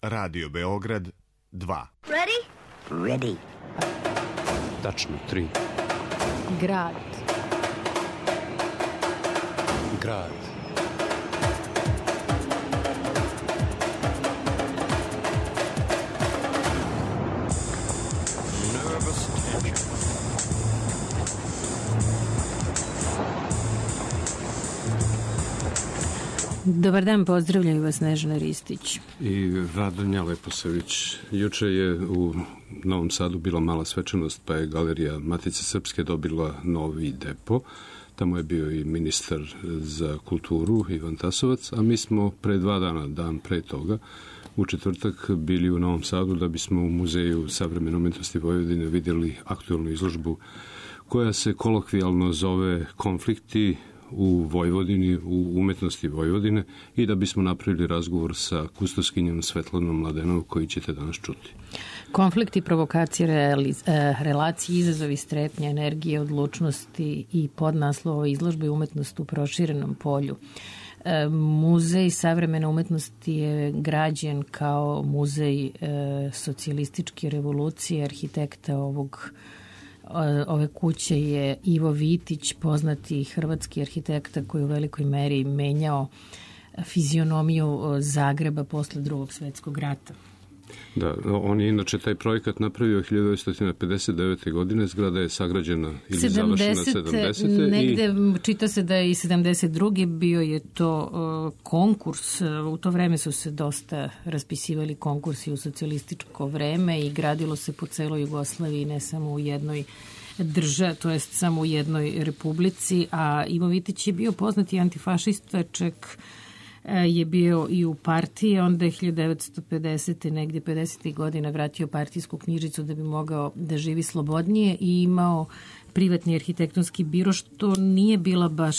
Radio Beograd 2. Ready? Ready. Tačno 3. Grad. Grad. Nervous tension. Dobar dan, pozdravljaju vas Snežana Ristić I Radonja Leposavić. Juče je u Novom Sadu bila mala svečanost, pa je Galerija Matice Srpske dobila novi depo. Tamo je bio i ministar za kulturu Ivan Tasovac, a mi smo pre 2 dana, dan pre toga, u četvrtak bili u Novom Sadu da bismo u Muzeju savremene umetnosti Vojvodine vidjeli aktuelnu izložbu koja se kolokvijalno zove Konflikti u Vojvodini, u umetnosti Vojvodine, i da bismo napravili razgovor sa kustoskinjom Svetlanom Mladenov koji ćete danas čuti. Konflikti, provokacije, relacije, izazovi, strepnje, energije, odlučnosti i podnaslov izložbe umetnost u proširenom polju. Muzej savremene umetnosti je građen kao muzej socijalističke revolucije. Arhitekta ove kuće je Ivo Vitić, poznati hrvatski arhitekta koji je u velikoj meri menjao fizionomiju Zagreba posle Drugog svetskog rata. Da, on je inače taj projekat napravio 1959. godine, zgrada je sagrađena ili završena 70. Negde čita se da je i 72. bio je to konkurs, u to vreme su se dosta raspisivali konkursi u socijalističko vreme i gradilo se po celoj Jugoslaviji, ne samo u jednoj državi, to jest samo u jednoj republici, a Ivo Vitić je bio poznati antifašista, čak je bio i u partiji, onda je 1950. negdje 50. godina vratio partijsku knjižicu da bi mogao da živi slobodnije i imao privatni arhitektonski biro, što nije bila baš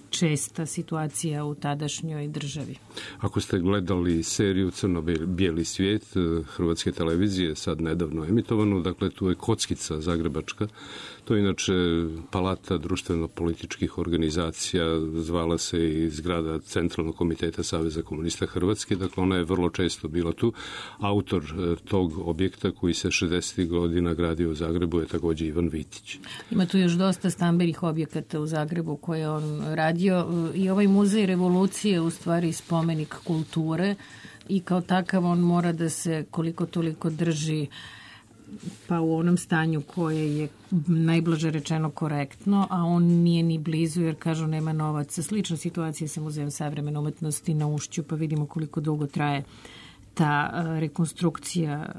česta situacija u tadašnjoj državi. Ako ste gledali seriju Crno-bijeli svijet Hrvatske televizije, sad nedavno emitovanu, dakle tu je kockica zagrebačka, to je inače palata društveno-političkih organizacija, zvala se i zgrada Centralnog komiteta Saveza komunista Hrvatske, dakle ona je vrlo često bila tu. Autor tog objekta koji se 60. godina gradio u Zagrebu je također Ivan Vitić. Ima tu još dosta stambenih objekata u Zagrebu koje on radio i ovaj muzej revolucije u stvari spomenik kulture i kao takav on mora da se koliko toliko drži pa u onom stanju koje je najblaže rečeno korektno, a on nije ni blizu jer kažu nema novaca. Slična situacija sa Muzejem savremene umetnosti na Ušću, pa vidimo koliko dugo traje ta rekonstrukcija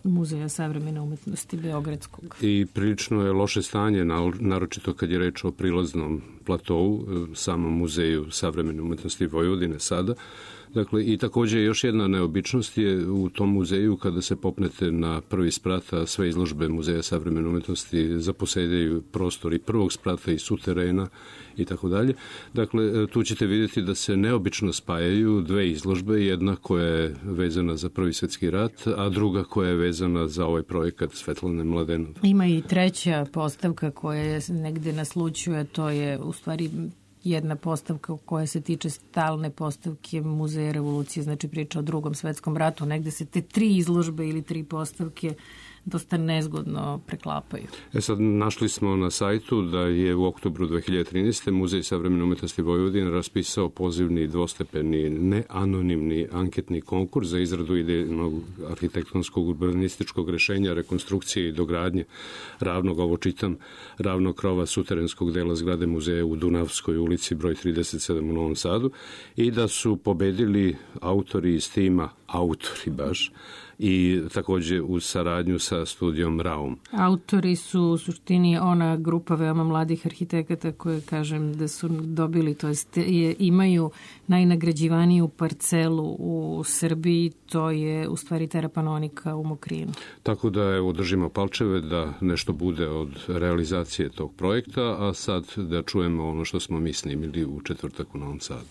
Muzeja savremene umetnosti Beogradskog. I prilično je loše stanje, naročito kad je reč o prilaznom platovu, samom Muzeju savremene umetnosti Vojvodine sada. Dakle, i također još jedna neobičnost je u tom muzeju kada se popnete na prvi sprat, a sve izložbe Muzeja savremene umetnosti zaposedaju prostor i prvog sprata i suterena i tako dalje. Dakle, tu ćete vidjeti da se neobično spajaju dve izložbe, jedna koja je vezana za Prvi svjetski rat, a druga koja je vezana za ovaj projekat Svetlane Mladenov. Ima i treća postavka koja je negde naslućuje, to je u stvari jedna postavka koja se tiče stalne postavke Muzeja revolucije, znači priča o Drugom svetskom ratu. Negde se te 3 izložbe ili 3 postavke dosta nezgodno preklapaju. Sad našli smo na sajtu da je u oktobru 2013. Muzej savremene umetnosti Vojvodine raspisao pozivni dvostepeni neanonimni anketni konkurs za izradu idejnog arhitektonskog urbanističkog rešenja, rekonstrukcije i dogradnje ravnog krova suterenskog dela zgrade muzeja u Dunavskoj ulici broj 37 u Novom Sadu, i da su pobedili autori iz tima, autori baš, i također u saradnju sa studijom Raum. Autori su u suštini ona grupa veoma mladih arhitekata koje kažem da su dobili, to jest imaju najnagrađivaniju parcelu u Srbiji, to je u stvari Terapanonika u Mokrinu. Tako da evo držimo palčeve da nešto bude od realizacije tog projekta, a sad da čujemo ono što smo mi snimili u četvrtak u Novom Sadu.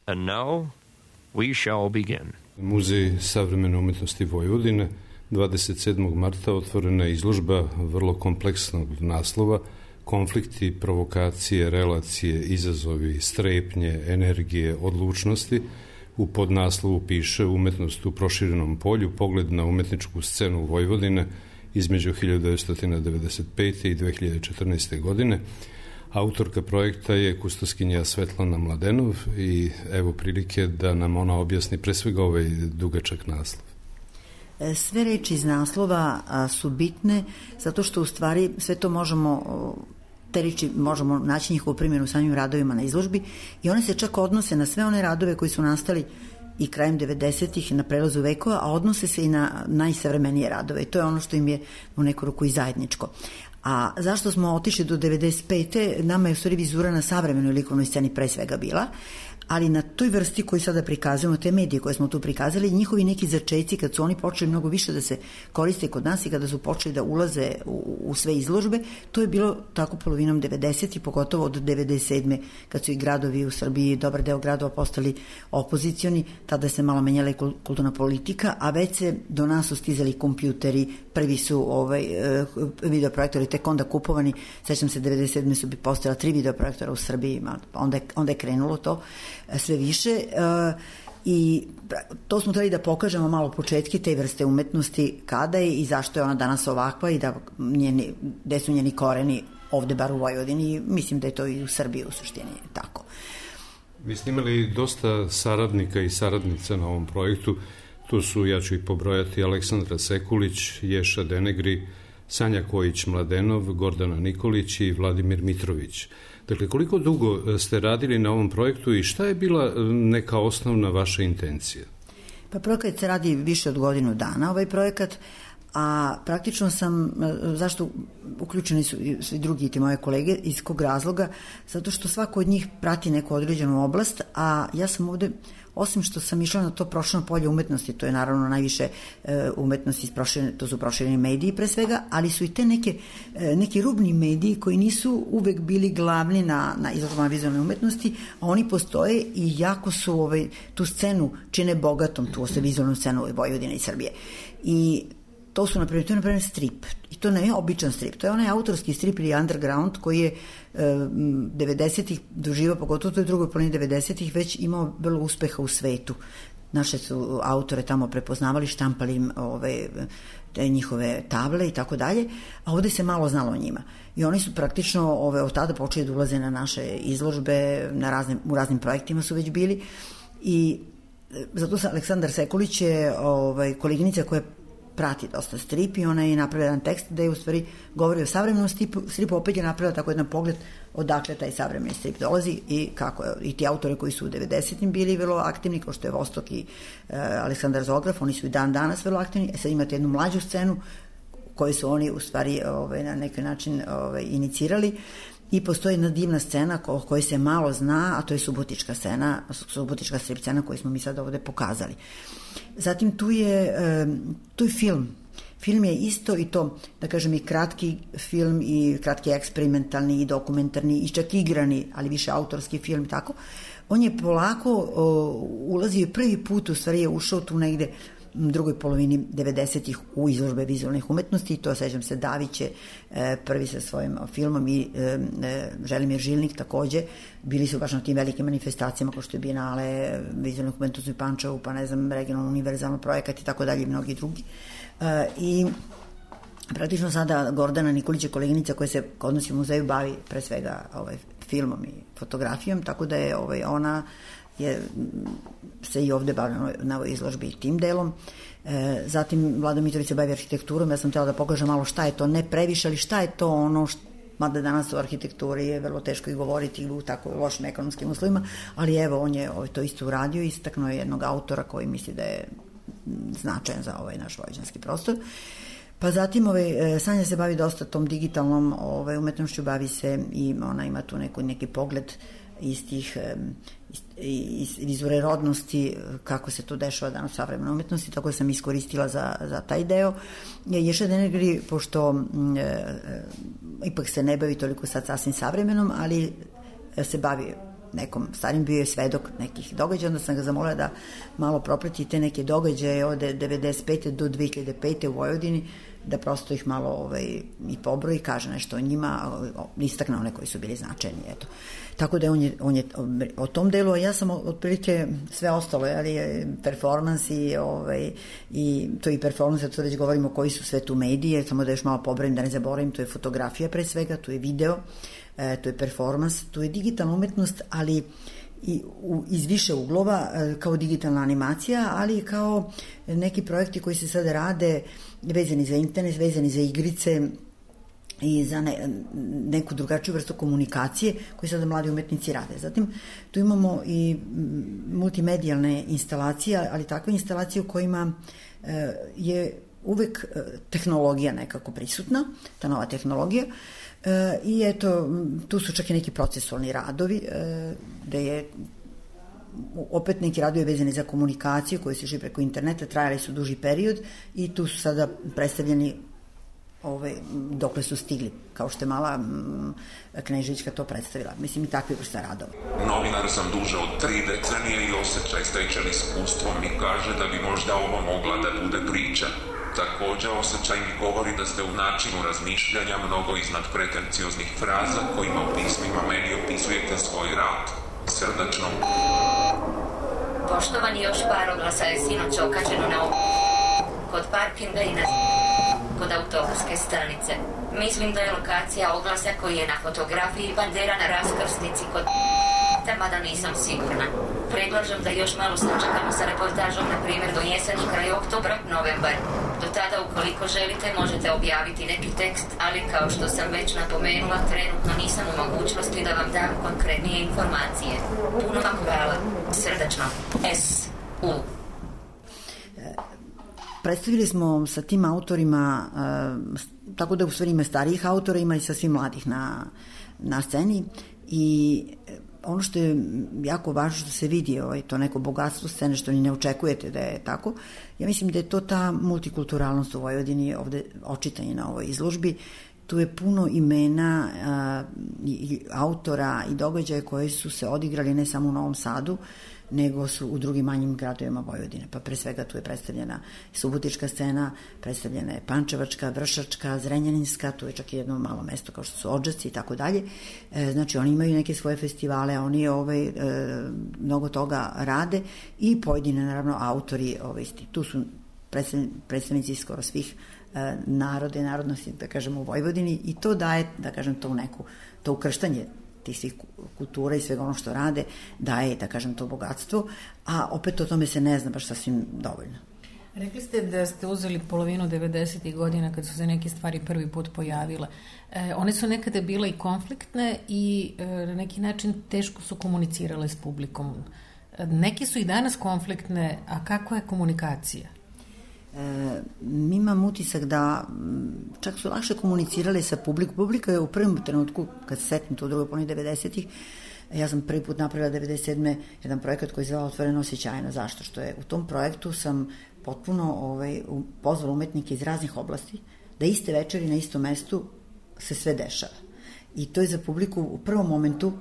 And now we shall begin. Muzej savremene umetnosti Vojvodine 27. marta otvorena je izložba vrlo kompleksnog naslova Konflikti, provokacije, relacije, izazovi, strepnje, energije, odlučnosti. U podnaslovu piše Umetnost u proširenom polju, pogled na umetničku scenu Vojvodine između 1995. i 2014. godine. Autorka projekta je kustoskinja Svetlana Mladenov i evo prilike da nam ona objasni pre svega ovaj dugačak naslov. Sve reči iz naslova su bitne zato što u stvari sve to te reči možemo naći njihovu primjenu u samim radovima na izložbi i one se čak odnose na sve one radove koji su nastali i krajem 90-ih na prelazu vekova, a odnose se i na najsavremenije radove i to je ono što im je u neku ruku i zajedničko. A zašto smo otišli do 95. Nama je u stvari vizura na savremenoj likovnoj sceni pre svega bila, ali na toj vrsti koju sada prikazujemo, te medije koje smo tu prikazali, njihovi neki začeci kad su oni počeli mnogo više da se koriste kod nas i kada su počeli da ulaze u sve izložbe, to je bilo tako polovinom 90. i pogotovo od 97. kad su i gradovi u Srbiji, dobar deo gradova postali opozicioni, tada se malo menjala i kulturna politika, a već se do nas su stizali kompjuteri, prvi su videoprojektori tek onda kupovani, sećam se 97. su bi postojala 3 videoprojektora u Srbiji, onda je krenulo to sve više i to smo trebali da pokažemo malo početke te vrste umetnosti kada je i zašto je ona danas ovakva i da gde su njeni koreni ovde bar u Vojvodini, mislim da je to i u Srbiji u suštini tako. Vi ste imali dosta saradnika i saradnica na ovom projektu, tu su, ja ću ih pobrojati, Aleksandra Sekulić, Ješa Denegri, Sanja Kojić-Mladenov, Gordana Nikolić i Vladimir Mitrović. Dakle, koliko dugo ste radili na ovom projektu i šta je bila neka osnovna vaša intencija? Pa projekat se radi više od godinu dana, ovaj projekat, a praktično sam, zašto uključeni su svi drugi ti moje kolege, iz kog razloga? Zato što svako od njih prati neku određenu oblast, a ja sam ovde, osim što sam išla na to prošireno polje umetnosti, to je naravno najviše umetnosti, to su prošireni mediji pre svega, ali su i te neki rubni mediji koji nisu uvek bili glavni na izložbama vizualne umetnosti, a oni postoje i jako su tu scenu čine bogatom, tu vizualnu scenu Vojvodine i Srbije. I to su, na primjer, strip. I to ne je običan strip. To je onaj autorski strip ili underground koji je 90-ih doživao, pogotovo u toj drugoj polovini 90-ih, već imao vrlo uspeha u svetu. Naše su autore tamo prepoznavali, štampali im te njihove table i tako dalje, a ovde se malo znalo o njima. I oni su praktično od tada počeli da ulaze na naše izložbe, u raznim projektima su već bili. I zato Aleksandar Sekulić je koleginica koja prati dosta strip i ona je napravila jedan tekst gde je u stvari govori o savremenom stripu, opet je napravila tako jedan pogled odakle taj savremeni strip dolazi i kako je, i ti autori koji su u 90-im bili vrlo aktivni, kao što je Vostok i Aleksandar Zograf, oni su i dan danas vrlo aktivni. Sad imate jednu mlađu scenu koju su oni u stvari na neki način inicirali i postoji jedna divna scena o kojoj se malo zna, a to je subotička scena, subotička strip scena koju smo mi sad ovde pokazali. Zatim tu je film. Film je isto i to, da kažem, i kratki film i kratki eksperimentalni i dokumentarni i čak igrani, ali više autorski film, tako. On je polako ulazio prvi put, u stvari je ušao tu negde drugoj polovini 90-ih u izložbe vizualnih umetnosti i to, sećam se, Davić je prvi sa svojim filmom i Želimir Žilnik takođe, bili su baš na tim velikim manifestacijama kao što je Bienale vizualnih umetnosti u Pančevu, pa ne znam, regionalno univerzalno projekat i tako dalje i mnogi drugi. I praktično sada Gordana Nikolić je koleginica koja se kod nas u muzeju bavi pre svega filmom i fotografijom, tako da je ona se i ovde bavila na ovoj izložbi tim delom. Zatim Vlada Mitrović se bavi arhitekturom, ja sam htjela da pokažem malo šta je to, ne previše, ali šta je to ono, mada danas u arhitekturi je vrlo teško i govoriti u tako lošim ekonomskim uslovima, ali evo, on je to isto uradio i istaknuo je jednog autora koji misli da je značajan za ovaj naš vojvođanski prostor. Pa zatim Sanja se bavi dosta tom digitalnom umetnošću, bavi se i ona ima tu neki pogled iz tih vizure rodnosti, kako se to dešava danas u savremenoj umetnosti, tako da sam iskoristila za taj deo. Ješa Denegri, pošto ipak se ne bavi toliko sad sasvim savremenom, ali se bavi nekom starim, bio je svedok nekih događaja, onda sam ga zamolila da malo proprati te neke događaje od 95. do 2005. u Vojvodini, da prosto ih malo i pobroji, kaže nešto o njima, istakne one koji su bili značajni, eto. Tako da on je o tom delu, a ja sam otprilike sve ostalo, performans i to i performans, to već govorimo koji su sve tu medije, samo da još malo pobrojim, da ne zaboravim, to je fotografija pre svega, to je video, to je performans, to je digitalna umetnost, ali iz više uglova, kao digitalna animacija, ali i kao neki projekti koji se sada rade vezani za internet, vezani za igrice i za neku drugačiju vrstu komunikacije koji sada mladi umetnici rade. Zatim tu imamo i multimedijalne instalacije, ali takve instalacije u kojima je uvek tehnologija nekako prisutna, ta nova tehnologija, i eto, tu su čak i neki procesualni radovi, gde je opet neki radovi vezani za komunikaciju koji se šli preko interneta, trajali su duži period i tu su sada predstavljeni dokle su stigli, kao što je mala Kneževićka to predstavila. Mislim, i takve vrsta radova. Novinar sam duže od 3 decenije i osjećaj stečen iskustvom mi kaže da bi možda ovo mogla da bude priča. Također osjećaj mi govori da ste u načinu razmišljanja mnogo iznad pretencioznih fraza kojima u pismima meni opisujete svoj rad. Srdačno. Poštovani, još par oglasa je sinoć okačeno na kod parkinga i kod autobuske stanice. Mislim da je lokacija oglasa koji je na fotografiji bandera na raskrsnici kod mada nisam sigurna. Predlažem da još malo sačekamo sa reportažom, na primjer do jeseni, kraj oktobra, novembar. Do tada, ukoliko želite, možete objaviti neki tekst, ali kao što sam već napomenula, trenutno nisam u mogućnosti da vam dam konkretnije informacije. Puno vam hvala. Srdačno. S.U. Predstavili smo sa tim autorima, tako da u stvari ima starijih autora, ima i sasvim mladih na sceni, i ono što je jako važno što se vidi, to neko bogatstvo scene što ni ne očekujete da je tako, ja mislim da je to ta multikulturalnost u Vojvodini ovde očitanje na ovoj izložbi. Tu je puno imena i autora i događaja koji su se odigrali ne samo u Novom Sadu, nego su u drugim manjim gradovima Vojvodine. Pa pre svega tu je predstavljena subotička scena, predstavljena je pančevačka, vršačka, zrenjaninska, tu je čak i jedno malo mesto kao što su Odžaci i tako dalje. Znači oni imaju neke svoje festivale, oni mnogo toga rade i pojedine naravno autori tu su predstavnici skoro svih naroda i narodnosti, da kažemo, u Vojvodini, i to daje, da kažem, to ukrštanje tih svih kultura i svega ono što rade, daje, da kažem, to bogatstvo, a opet o tome se ne zna baš sasvim dovoljno. Rekli ste da ste uzeli polovinu 90. godina kad su se neke stvari prvi put pojavile. One su nekada bile i konfliktne i na neki način teško su komunicirale s publikom. Neke su i danas konfliktne, a kakva je komunikacija? Mi imam utisak da čak su lakše komunicirali sa publikom. Publika je u prvom trenutku, kad se setim to u drugoj polovini 90-ih, ja sam prvi put napravila 97. jedan projekat koji se zvala Otvoreno osjećajno. Zašto? Što je u tom projektu sam potpuno pozvala umetnike iz raznih oblasti da iste večeri na istom mestu se sve dešava. I to je za publiku u prvom momentu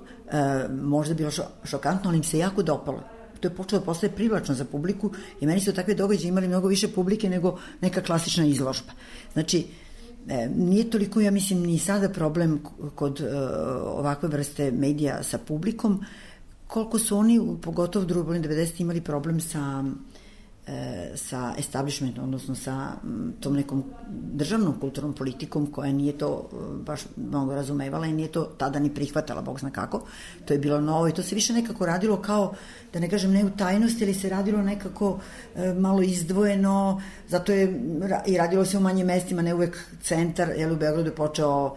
možda bilo šokantno, ali im se jako dopalo. To je počelo da postaje privlačno za publiku i meni su takve događaje imali mnogo više publike nego neka klasična izložba. Znači, nije toliko, ja mislim, ni sada problem kod ovakve vrste medija sa publikom, koliko su oni, pogotovo u drugoj polovini 90. imali problem sa establishmentom, odnosno sa tom nekom državnom kulturnom politikom koja nije to baš mnogo razumevala i nije to tada ni prihvatala, Bog zna kako. To je bilo novo i to se više nekako radilo kao, da ne kažem ne u tajnosti, ali se radilo nekako malo izdvojeno, zato je i radilo se u manjim mestima, ne uvek centar, u Beogradu je počeo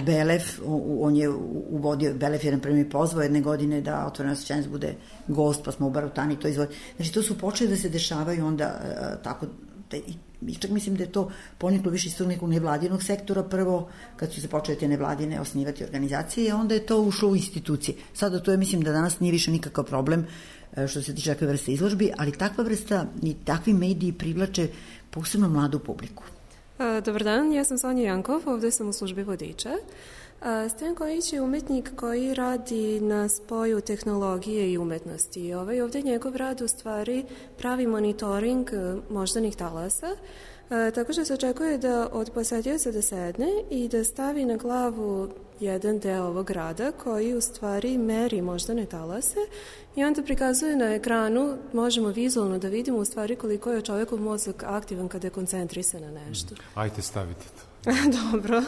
Belef, on je uvodio, Belef je na primjer pozvao jedne godine da Otvoreno osjećajnost bude gost, pa smo u Barutani to izvodili. Znači to su počeli da se dešavaju onda tako, i čak mislim da je to poniklo više iz tog nekog nevladinog sektora prvo, kad su se počeli te nevladine osnivati organizacije, i onda je to ušlo u institucije. Sada to je, mislim da danas nije više nikakav problem što se tiče takve vrste izložbi, ali takva vrsta i takvi mediji privlače posebno mladu publiku. Dobar dan, ja sam Sonja Jankov, ovdje sam u službi vodiča. Stojan Kojić je umetnik koji radi na spoju tehnologije i umetnosti. Ovdje njegov rad u stvari pravi monitoring moždanih talasa, tako što se očekuje da od posetioca da sedne i da stavi na glavu jedan deo ovog rada koji u stvari meri moždane talase i onda prikazuje na ekranu, možemo vizualno da vidimo u stvari koliko je čovjekov mozak aktivan kada je koncentrisan na nešto. Ajde, stavite to. Dobro.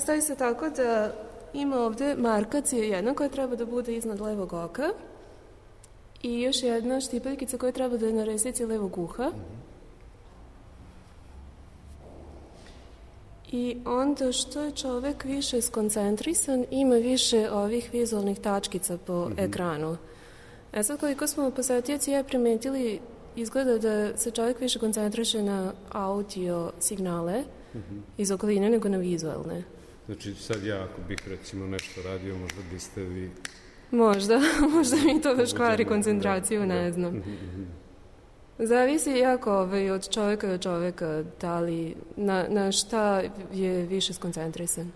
Stavi se tako da ima ovdje markacija jedna koja treba da bude iznad levog oka i još jedna štipaljkica koja treba da je na resnici levog uha. I onda što je čovjek više skoncentrisan, ima više ovih vizualnih tačkica po ekranu. Sad koliko smo posetioci primetili, izgleda da se čovjek više koncentriše na audio signale iz okoline nego na vizualne. Znači sad ja ako bih recimo nešto radio, možda biste vi... Možda mi to baš kvari koncentraciju, ne znam. Zavisi jako od čovjeka do čovjeka, da li na šta je više skoncentrisan.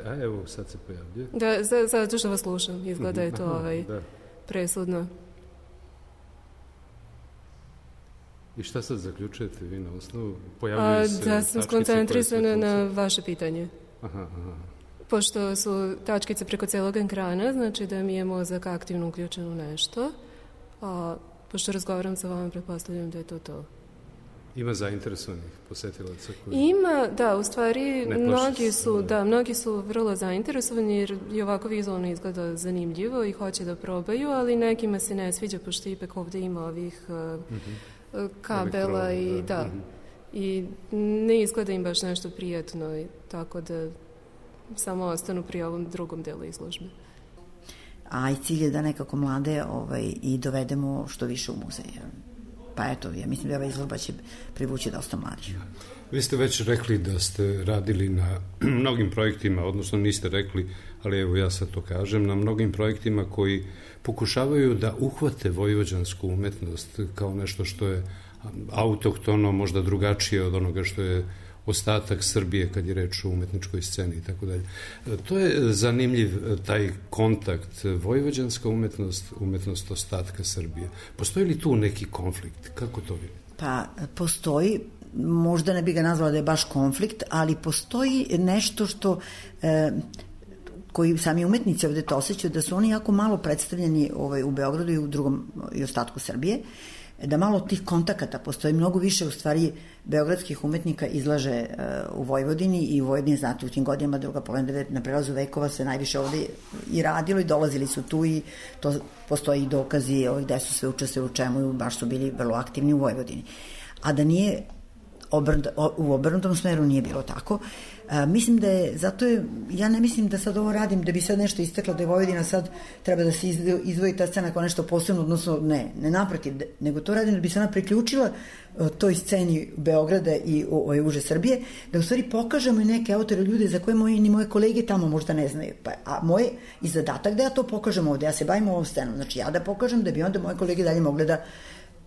A evo, sad se pojavljuje. Da, zato što vas slušam, izgleda je to presudno. I šta sad zaključujete vi na osnovu? Pojavljaju se da sam skoncentrisana na vaše pitanje. Aha. Pošto su tačkice preko celog ekrana, znači da mi je mozak aktivno uključen u nešto, a pošto razgovaram sa vama, pretpostavljam da je to. Ima zainteresovanih posetilaca koji... Ima, da, u stvari mnogi su vrlo zainteresovani jer i ovako vizualno izgleda zanimljivo i hoće da probaju, ali nekima se ne sviđa pošto ipak ovdje ima ovih kabela i ne izgleda im baš nešto prijatno, tako da samo ostanu pri ovom drugom delu izložbe. A i cilj je da nekako mlade i dovedemo što više u muzej. Pa eto, ja mislim da ova izložba će privući dosta mladih. Vi ste već rekli da ste radili na mnogim projektima, odnosno niste rekli, ali evo ja sad to kažem, na mnogim projektima koji pokušavaju da uhvate vojvođansku umetnost kao nešto što je autohtono, možda drugačije od onoga što je ostatak Srbije kad je reč o umetničkoj sceni i tako dalje. To je zanimljiv taj kontakt vojvođanska umetnost ostatka Srbije. Postoji li tu neki konflikt? Kako to vidite? Pa postoji, možda ne bi ga nazvala da je baš konflikt, ali postoji nešto što koji sami umetnici ovdje to osjećaju, da su oni jako malo predstavljeni u Beogradu i u drugom i ostatku Srbije, da malo tih kontakata postoji, mnogo više u stvari beogradskih umetnika izlaže u Vojvodini i u Vojvodini, znate, u tim godinama druga polovina na prelazu vekova se najviše ovdje i radilo i dolazili su tu i to postoji i dokazi gde su sve učestvovali u čemu i baš su bili vrlo aktivni u Vojvodini. A da nije u obrnutom smeru nije bilo tako. Mislim da je, zato je, ja ne mislim da sad ovo radim da bi sad nešto isteklo, da je Vojvodina sad treba da se izdvoji ta scena kao nešto posebno, odnosno ne naprotiv, nego to radim da bi se ona priključila toj sceni Beograda i uže Srbije, da u stvari pokažemo i neke autore, ljude za koje ni moje kolege tamo možda ne znaju. A moj i zadatak da ja to pokažem ovde, ja se bavim ovom scenom, znači ja da pokažem da bi onda moje kolege dalje mogle da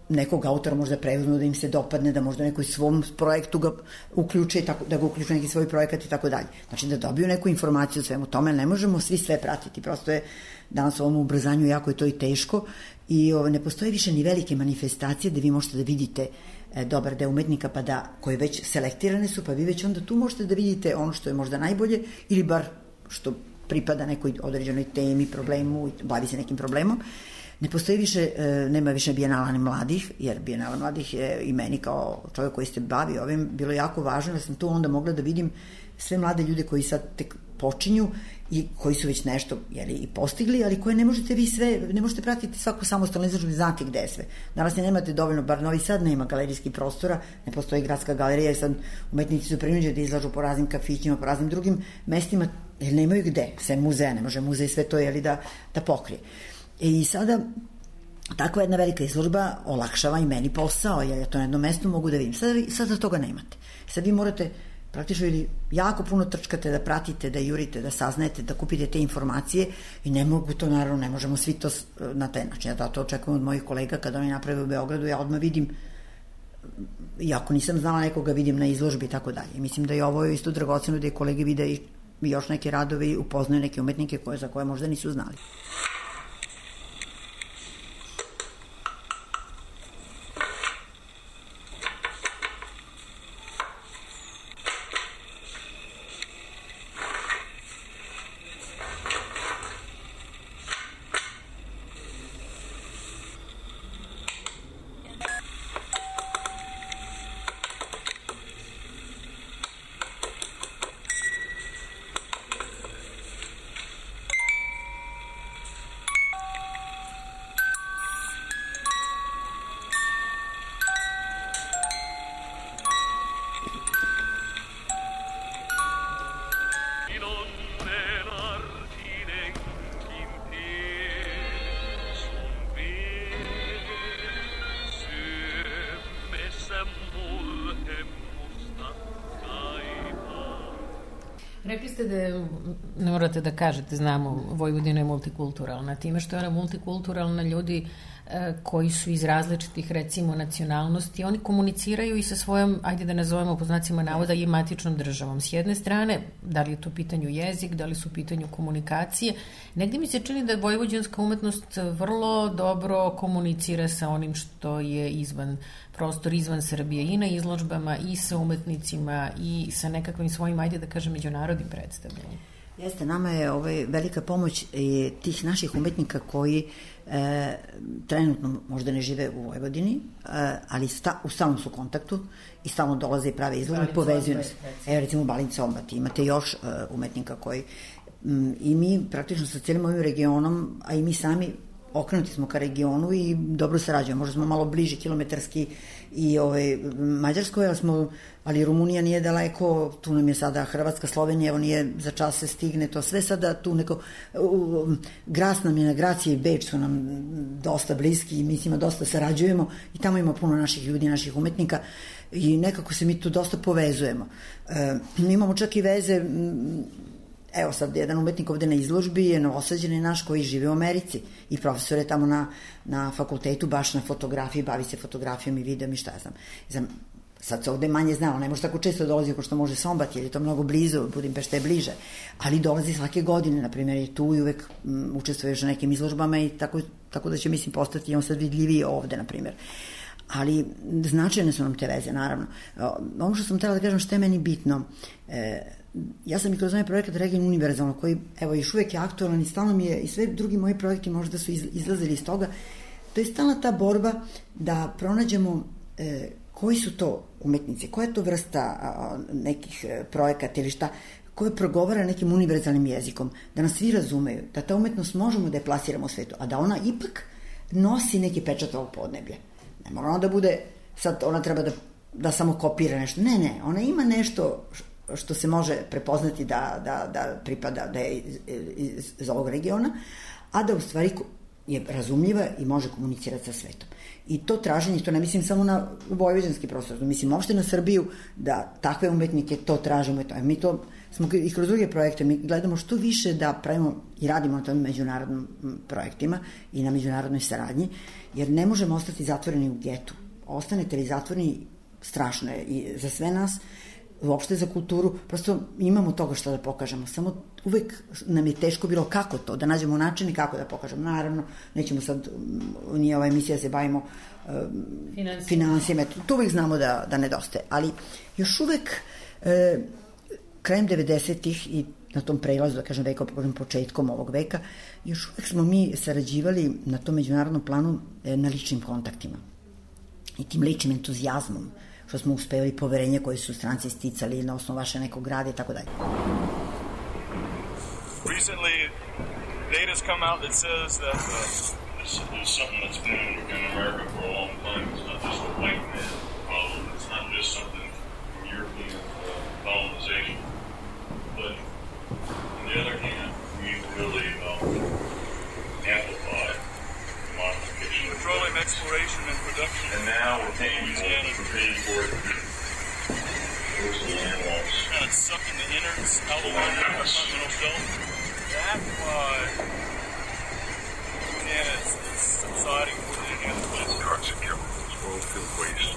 nekog autora možda preuzmu, da im se dopadne, da možda nekoj svom projektu ga uključe, da ga uključe neki svoj projekat i tako dalje. Znači da dobiju neku informaciju o svemu tome, ne možemo svi sve pratiti, prosto je danas u ovom ubrzanju jako je to i teško i ne postoje više ni velike manifestacije da vi možete da vidite dobar deo umetnika pa da, koje već selektirane su, pa vi već onda tu možete da vidite ono što je možda najbolje ili bar što pripada nekoj određenoj temi, problemu, bavi se nekim problemom. Ne postoji više, nema više bijenala mladih, jer bijenala mladih je i meni kao čovjek koji se bavi ovim bilo jako važno, da sam tu onda mogla da vidim sve mlade ljude koji sad tek počinju i koji su već nešto i postigli, ali koje ne možete vi sve, ne možete pratiti svaku samostalnu izložbu, znate gde je sve. Danas nemate dovoljno, bar Novi Sad nema galerijskih prostora, ne postoji gradska galerija, jer sad umetnici su prinuđeni da izlažu po raznim kafićima, po raznim drugim mestima, jer nemaju gde, sve muzeja, ne može muzej sve to da pokrije. I sada takva jedna velika izložba olakšava i meni posao, jer ja to na jednom mestu mogu da vidim. Sada toga nemate. Sad vi morate praktično ili jako puno trčkate da pratite, da jurite, da saznajete, da kupite te informacije i ne mogu to, naravno, ne možemo svi to na taj način. Ja to očekujem od mojih kolega kada oni naprave u Beogradu, ja odmah vidim iako nisam znala nekoga vidim na izložbi i tako dalje. Mislim da je ovo isto dragoceno da je kolege vide i još neke radove i upoznaju neke umetnike za koje možda nisu znali. Rekli ste da, ne morate da kažete, znamo, Vojvodina je multikulturalna. Time što je ona multikulturalna, ljudi koji su iz različitih, recimo, nacionalnosti, oni komuniciraju i sa svojom, ajde da nazovemo po znacima navoda, i matičnom državom. S jedne strane, da li je to pitanju jezik, da li su u pitanju komunikacije, negdje mi se čini da vojvođanska umetnost vrlo dobro komunicira sa onim što je izvan prostor, izvan Srbije, i na izložbama, i sa umetnicima, i sa nekakvim svojim, ajde da kažem, međunarodnim predstavljanjem. Jeste, nama je velika pomoć tih naših umetnika koji trenutno možda ne žive u Vojvodini, ali u stalnom su kontaktu i stalno dolaze i prave izložbe, povezuju nas. Evo recimo Balint Sombat, imate još umetnika koji i mi praktično sa cijelim ovim regionom, a i mi sami okrenuti smo ka regionu i dobro sarađujemo. Možda smo malo bliži kilometarski i Mađarskoj, ali Rumunija nije daleko, tu nam je sada Hrvatska, Slovenija, evo nije za čas se stigne, to sve sada tu neko, Graz nam je na Gracije i Beč su nam dosta bliski i mi s njima dosta sarađujemo i tamo ima puno naših ljudi, naših umetnika i nekako se mi tu dosta povezujemo. Mi imamo čak i veze. Evo sad, jedan umetnik ovde na izložbi je Novosađanin naš koji žive u Americi i profesor je tamo na fakultetu baš na fotografiji, bavi se fotografijom i videom i šta ja znam. Sad se ovde manje znao, ne može tako često dolazi kao što može Sombat, jer je to mnogo blizu, Budimpešta je bliže, ali dolazi svake godine, na primjer, je tu i uvek učestvuješ na nekim izložbama i tako da će, mislim, postati on sad vidljiviji ovde, na primjer. Ali značajne su nam te veze, naravno. Ono što sam htjela da kažem što je meni bitno, ja sam i kroz ovaj projekat Region univerzalno, koji evo još uvek je aktualan i stalno mi je, i sve drugi moji projekti možda su izlazili iz toga, to je stalna ta borba da pronađemo koji su to umetnici, koja je to vrsta nekih projekata ili šta, koje progovara nekim univerzalnim jezikom, da nas svi razumeju, da ta umetnost možemo da je plasiramo u svetu, a da ona ipak nosi neki pečat ovog podneblja. Ne mora ona da bude, sad ona treba da samo kopira nešto. Ne, ona ima nešto što se može prepoznati da pripada, da je iz ovog regiona, a da u stvari je razumljiva i može komunicirati sa svetom. I to traženje, to ne mislim samo na vojvođanski prostor, mislim uopšte na Srbiju, da takve umetnike to tražimo. Mi to smo i kroz druge projekte, mi gledamo što više da pravimo i radimo na tom međunarodnim projektima i na međunarodnoj saradnji, jer ne možemo ostati zatvoreni u getu. Ostanete li zatvoreni, strašno je i za sve nas, uopšte za kulturu, prosto imamo toga što da pokažemo, samo uvek nam je teško bilo kako to, da nađemo način i kako da pokažemo. Naravno, nećemo sad, nije ova emisija da se bavimo finansijama, to uvek znamo da nedostaje, ali još uvek krajem 90-ih i na tom prelazu, da kažem veka, početkom ovog veka, još uvek smo mi sarađivali na tom međunarodnom planu na ličnim kontaktima i tim ličnim entuzijazmom, što smo uspevali, poverenje koje su stranci sticali na osnovu vaše nekog grada i tako dalje. Recently, data's come out that says that this is something that's been in America for a long time. It's not just a white man problem. It's not just something from European colonization. But on the other hand, we really amplify modification. Petroleum exploration and production. And now we're paying for it. Kind of sucking the innards out of the continental shelf. That's why Montana is subsiding more than any other place. Drugs and chemicals, oil field waste.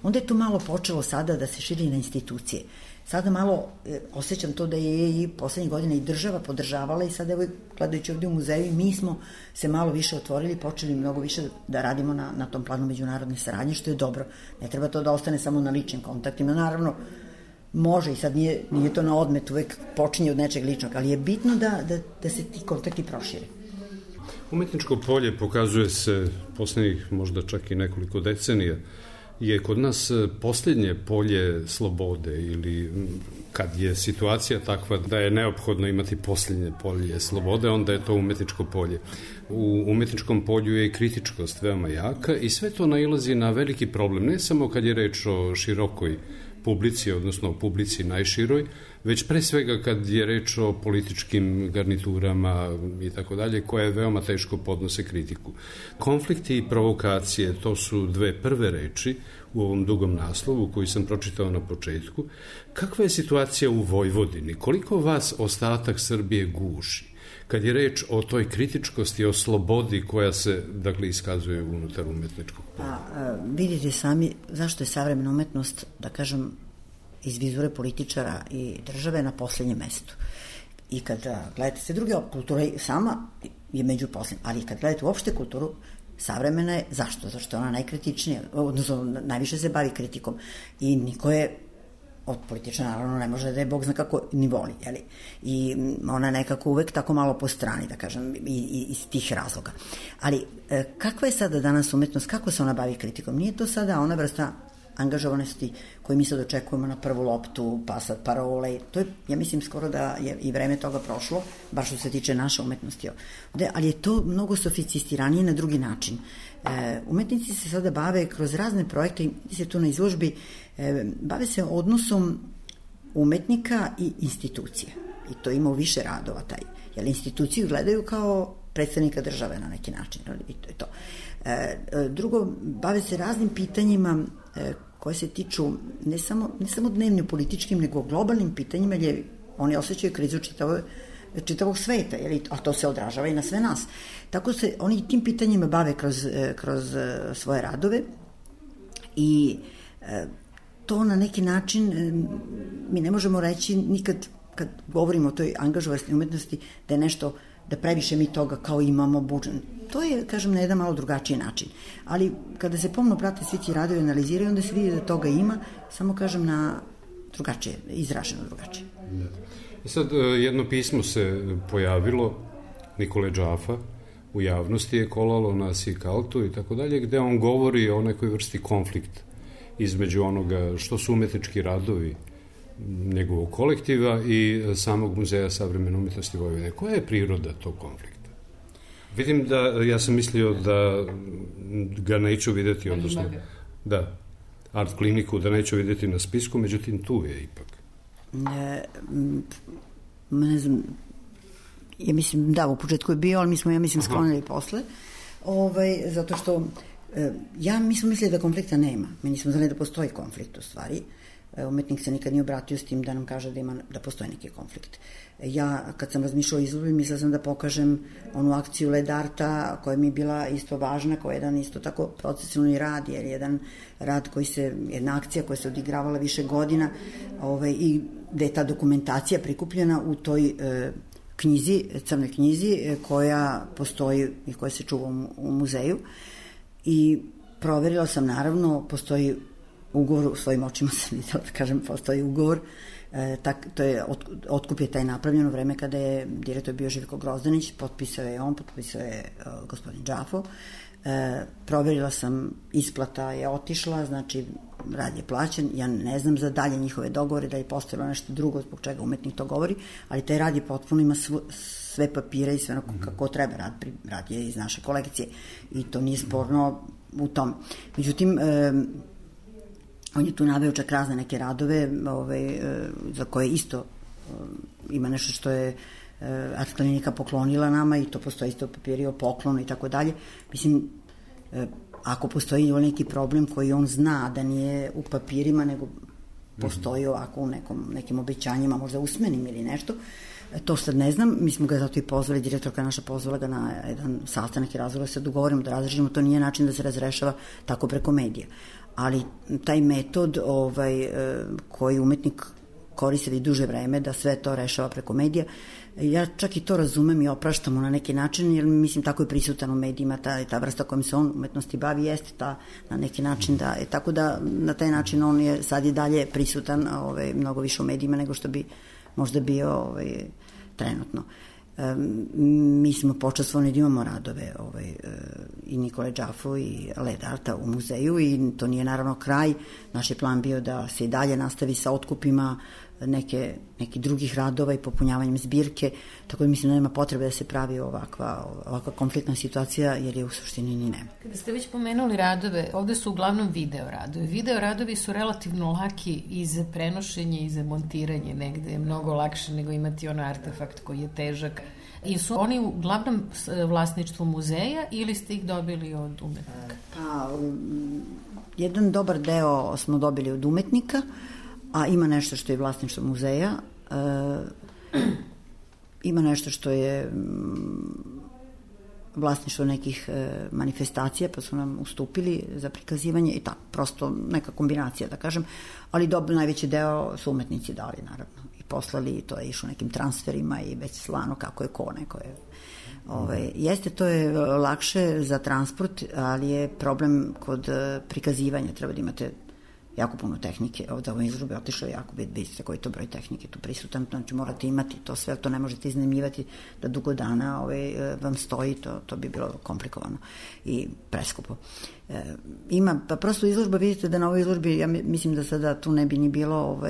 onda je to malo počelo sada da se širi na institucije. Sada malo osjećam to da je i poslednjih godina i država podržavala i sada evo gledajući ovde u muzeju mi smo se malo više otvorili, počeli mnogo više da radimo na tom planu međunarodne saradnje, što je dobro. Ne treba to da ostane samo na ličnim kontaktima, naravno može i sad nije to na odmet, uvek počinje od nečeg ličnog, ali je bitno da se ti kontakti prošire. Umetničko polje pokazuje se poslednjih možda čak i nekoliko decenija je kod nas posljednje polje slobode ili kad je situacija takva da je neophodno imati posljednje polje slobode, onda je to umetničko polje. U umetničkom polju je i kritičkost veoma jaka i sve to nailazi na veliki problem, ne samo kad je reč o širokoj publici, odnosno o publici najširoj, već pre svega kad je reč o političkim garniturama i tako dalje, koje veoma teško podnose kritiku. Konflikti i provokacije, to su dve prve reči u ovom dugom naslovu koji sam pročitao na početku. Kakva je situacija u Vojvodini? Koliko vas ostatak Srbije guši? Kad je reč o toj kritičkosti, o slobodi koja se, dakle, iskazuje unutar umetničkog polja. Vidite sami zašto je savremena umetnost, da kažem, iz vizure političara i države na poslednjem mestu. I kad gledate sve druge, kultura sama je među poslednjim, ali kad gledate uopšte kulturu, savremena je, zašto? Zašto je ona najkritičnija, odnosno najviše se bavi kritikom i niko je od političara naravno ne može da je Bog zna kako ni voli, jeli? I ona je nekako uvek tako malo po strani, da kažem, i iz tih razloga. Ali kakva je sada danas umetnost, kako se ona bavi kritikom? Nije to sada ona vrsta angažovanosti koju mi sad očekujemo na prvu loptu, pa sad parole, to je, ja mislim, skoro da je i vreme toga prošlo, baš što se tiče naše umetnosti. Ali je to mnogo sofisticiranije na drugi način. Umetnici se sada bave kroz razne projekte, i se tu na izložbi, bave se odnosom umetnika i institucije. I to ima u više radova taj. Jer instituciju gledaju kao predstavnika države na neki način. I to je to. Drugo, bave se raznim pitanjima koje se tiču ne samo dnevno političkim, nego globalnim pitanjima, jer oni osjećaju krizu čitavog sveta, a to se odražava i na sve nas. Tako se oni tim pitanjima bave kroz svoje radove i to na neki način mi ne možemo reći nikad kad govorimo o toj angažovanosti umetnosti da je nešto, da previše mi toga kao imamo budžet. To je, kažem, na jedan malo drugačiji način. Ali kada se pomno prate svi ti radovi, analiziraju, onda se vidi da toga ima, samo kažem na drugačije, izraženo drugačije. I sad jedno pismo se pojavilo, Nikole Džafa, u javnosti je kolalo na Sikaltu i tako dalje, gde on govori o nekoj vrsti konflikta između onoga što su umetnički radovi njegovog kolektiva i samog Muzeja savremene umetnosti Vojvodine. Koja je priroda tog konflikta? Vidim da, ja sam mislio da ga neću videti, odnosno, da, art kliniku da neću videti na spisku, međutim tu je ipak. Ne znam, ja mislim, da, u početku je bio, ali mi smo, ja mislim, sklonili posle, zato što mi smo mislili da konflikta nema. Mi nismo znali da postoji konflikt u stvari. Umetnik se nikad nije obratio s tim da nam kaže da postoji neki konflikt. Ja, kad sam razmišljala o izložbi, mislila sam da pokažem onu akciju Led Arta, koja mi je bila isto važna, kao jedan isto tako procesualni rad, jer jedan rad jedna akcija koja se odigravala više godina i gde je ta dokumentacija prikupljena u toj knjizi, crnoj knjizi, koja postoji i koja se čuva u muzeju. I proverila sam, naravno, postoji ugovor, u svojim očima sam videla, da kažem, postoji ugovor, otkup je taj napravljen u vreme kada je direktor bio Živko Grozdanić, potpisao je on, potpisao je gospodin Džafo, proverila sam, isplata je otišla, znači rad je plaćen, ja ne znam za dalje njihove dogovore, da je postojalo nešto drugo zbog čega umetnik to govori, ali taj rad je potpuno, ima sve papire i sve ono kako treba, rad je iz naše kolekcije i to nije sporno u tom. Međutim, on je tu naveo čak razne neke radove za koje isto ima nešto što je art klinika poklonila nama i to postoji isto papiri o poklonu i tako dalje. Mislim, ako postoji neki problem koji on zna da nije u papirima, nego postoji ovako u nekim obećanjima, možda usmenim ili nešto, to sad ne znam, mi smo ga zato i pozvali, direktorka naša pozvala ga na jedan sastanak i razgovor, se dogovorimo da razrešimo, to nije način da se razrešava tako preko medija. ali taj metod koji umetnik koristili duže vreme da sve to rešava preko medija, ja čak i to razumem i opraštam mu na neki način, jer mislim tako je prisutan u medijima, ta vrsta kojom se on umetnosti bavi jeste ta na neki način da je, tako da na taj način on je sad i dalje prisutan mnogo više u medijima nego što bi možda bio trenutno. Mi smo počastvovani da imamo radove i Nikole Džafu i Led Arta u muzeju i to nije naravno kraj. Naš je plan bio da se i dalje nastavi sa otkupima neki drugih radova i popunjavanjem zbirke, tako da mislim da nema potrebe da se pravi ovakva konfliktna situacija, jer je u suštini ni nema. Kada ste već pomenuli radove, ovde su uglavnom video radovi. Video radovi su relativno laki i za prenošenje i za montiranje, negde je mnogo lakše nego imati ono artefakt koji je težak. I su oni uglavnom vlasništvo muzeja ili ste ih dobili od umetnika? Pa, jedan dobar deo smo dobili od umetnika, a ima nešto što je vlasništvo muzeja, ima nešto što je vlasništvo nekih manifestacija, pa su nam ustupili za prikazivanje i tako, prosto neka kombinacija, da kažem, ali najveći deo su umetnici dali, naravno, i poslali, i to je išlo nekim transferima i već slano kako je ko neko je. Jeste, to je lakše za transport, ali je problem kod prikazivanja, treba da imate jako puno tehnike, ovdje ovo izložbe otišlo jako, vidite koji je to broj tehnike tu prisutan, znači morate imati to sve, to ne možete iznajmljivati da dugo dana vam stoji, to bi bilo komplikovano i preskupo. Ima, pa prosto izložba, vidite da na ovoj izložbi, ja mislim da sada tu ne bi ni bilo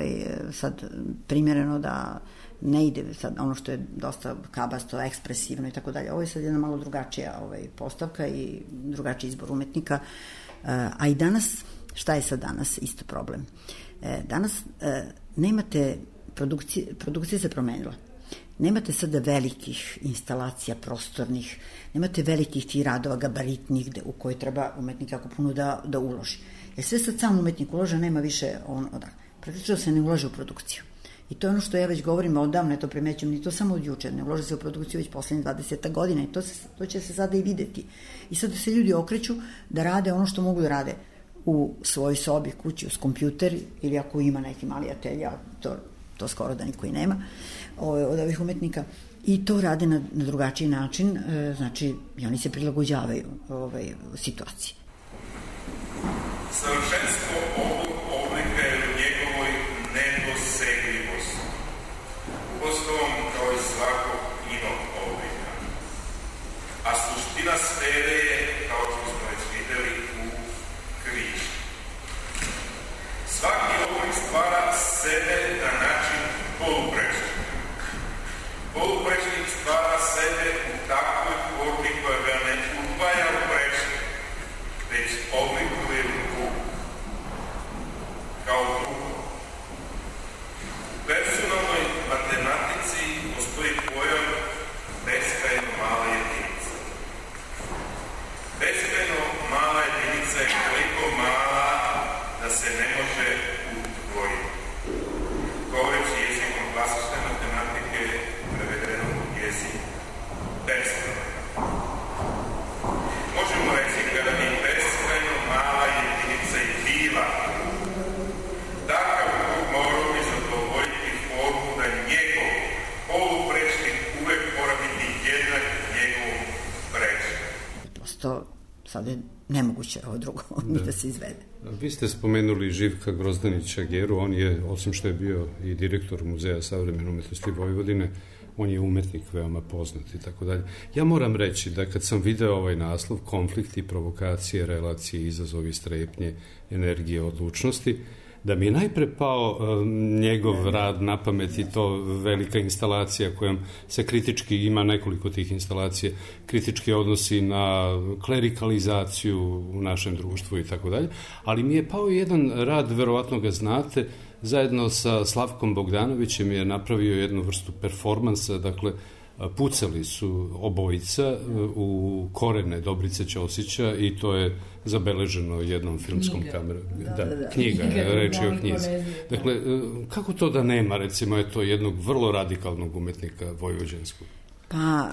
sad primjereno da ne ide sad ono što je dosta kabasto, ekspresivno i tako dalje. Ovo je sad jedna malo drugačija postavka i drugačiji izbor umetnika, a i danas. Šta je sad danas isto problem? Danas nemate, produkcija se promenila. Nemate sada velikih instalacija prostornih, nemate velikih tih radova gabaritnih u koje treba umetnik jako puno da uloži. Jer sve sad sam umetnik ulože, nema više praktično se ne ulaže u produkciju. I to je ono što ja već govorim odavno, to primećujem, ni to samo od juče, ne ulaže se u produkciju već poslednjih 20 godina i to će se sada i videti. I sada se ljudi okreću da rade ono što mogu da rade u svojoj sobi, kući, uz kompjuter, ili ako ima neki mali atelje, to skoro da niko i nema od ovih umetnika, i to rade na drugačiji način, znači i oni se prilagođavaju situaciji. Savršenstvo ovog oblika je u njegovoj nedosegljivosti, uostalom kao i svakog inog oblika, a suština sfere je, kao što smo već videli, u križ. Svaki oblik stvara sebe na način poluprečnika. Poluprečnik stvara sebe u takvoj formi koja ga ne udvaja u prečnik, već oblikuje u krug. Kao drugo. U personalnoj matematici postoji pojam beskrajno mala jedinica. Beskrajno mala jedinica je koliko mala da se ne može udvojiti. Govoreći jezikom klasične matematike, prevedeno u jezik beskrajno. Možemo reći kada bi beskrajno mala jedinica i bila, takav krug morao bi zadovoljiti formu da njegov poluprečnik uvek mora biti jednak njegovom prečniku. Prosto sad je nemoguće ovo drugo da se izvede. Vi ste spomenuli Živka Grozdanića Geru, on je, osim što je bio i direktor Muzeja savremene umetnosti Vojvodine, on je umetnik veoma poznat i tako dalje. Ja moram reći da kad sam video ovaj naslov, konflikti, provokacije, relacije, izazovi, strepnje, energije, odlučnosti, da mi je najpre pao njegov rad na pamet i to velika instalacija kojom se kritički, ima nekoliko tih instalacija, kritički odnosi na klerikalizaciju u našem društvu i tako dalje, ali mi je pao jedan rad, verovatno ga znate, zajedno sa Slavkom Bogdanovićem je napravio jednu vrstu performansa, dakle, pucali su obojica u korene Dobrice Ćosića i to je zabeleženo jednom filmskom kamerom. Knjiga, reč je o knjizi. Dakle, kako to da nema, recimo, jednog vrlo radikalnog umetnika vojvođanskog? Pa,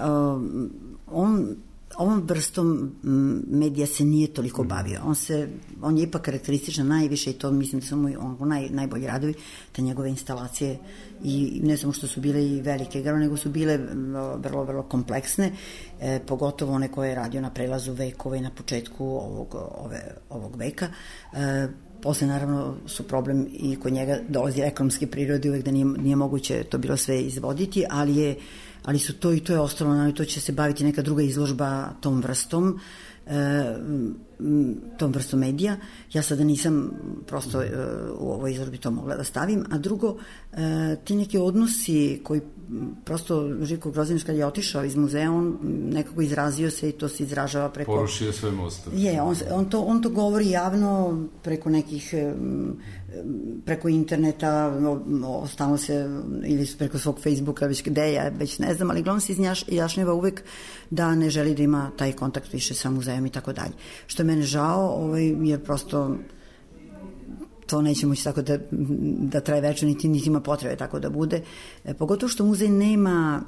on ovom vrstom medija se nije toliko bavio. On je ipak karakterističan najviše i to mislim da su mu najbolji radovi, te njegove instalacije i ne samo što su bile i velike igrane, nego su bile vrlo, vrlo kompleksne, pogotovo one koje je radio na prelazu vekova i na početku ovog veka. Posle naravno su problem i kod njega dolazi ekonomske prirode, uvek da nije moguće to bilo sve izvoditi, ali su to i to je ostalo, naravno to će se baviti neka druga izložba tom vrstom medija. Ja sada nisam prosto u ovoj izložbi to mogla da stavim, a drugo, ti neki odnosi koji prosto Živko Grozanić kad je otišao iz muzeja, on nekako izrazio se i to se izražava preko... Porušio sve mostove. On to govori javno preko nekih preko interneta, stalno se ili preko svog Facebooka, već gde ja već ne znam, ali glavno se izjašnjava uvek da ne želi da ima taj kontakt više sa muzejom i tako dalje. Što je mene žao, jer prosto to neće moći tako da traje večno, niti ima potrebe tako da bude. Pogotovo što muzej nema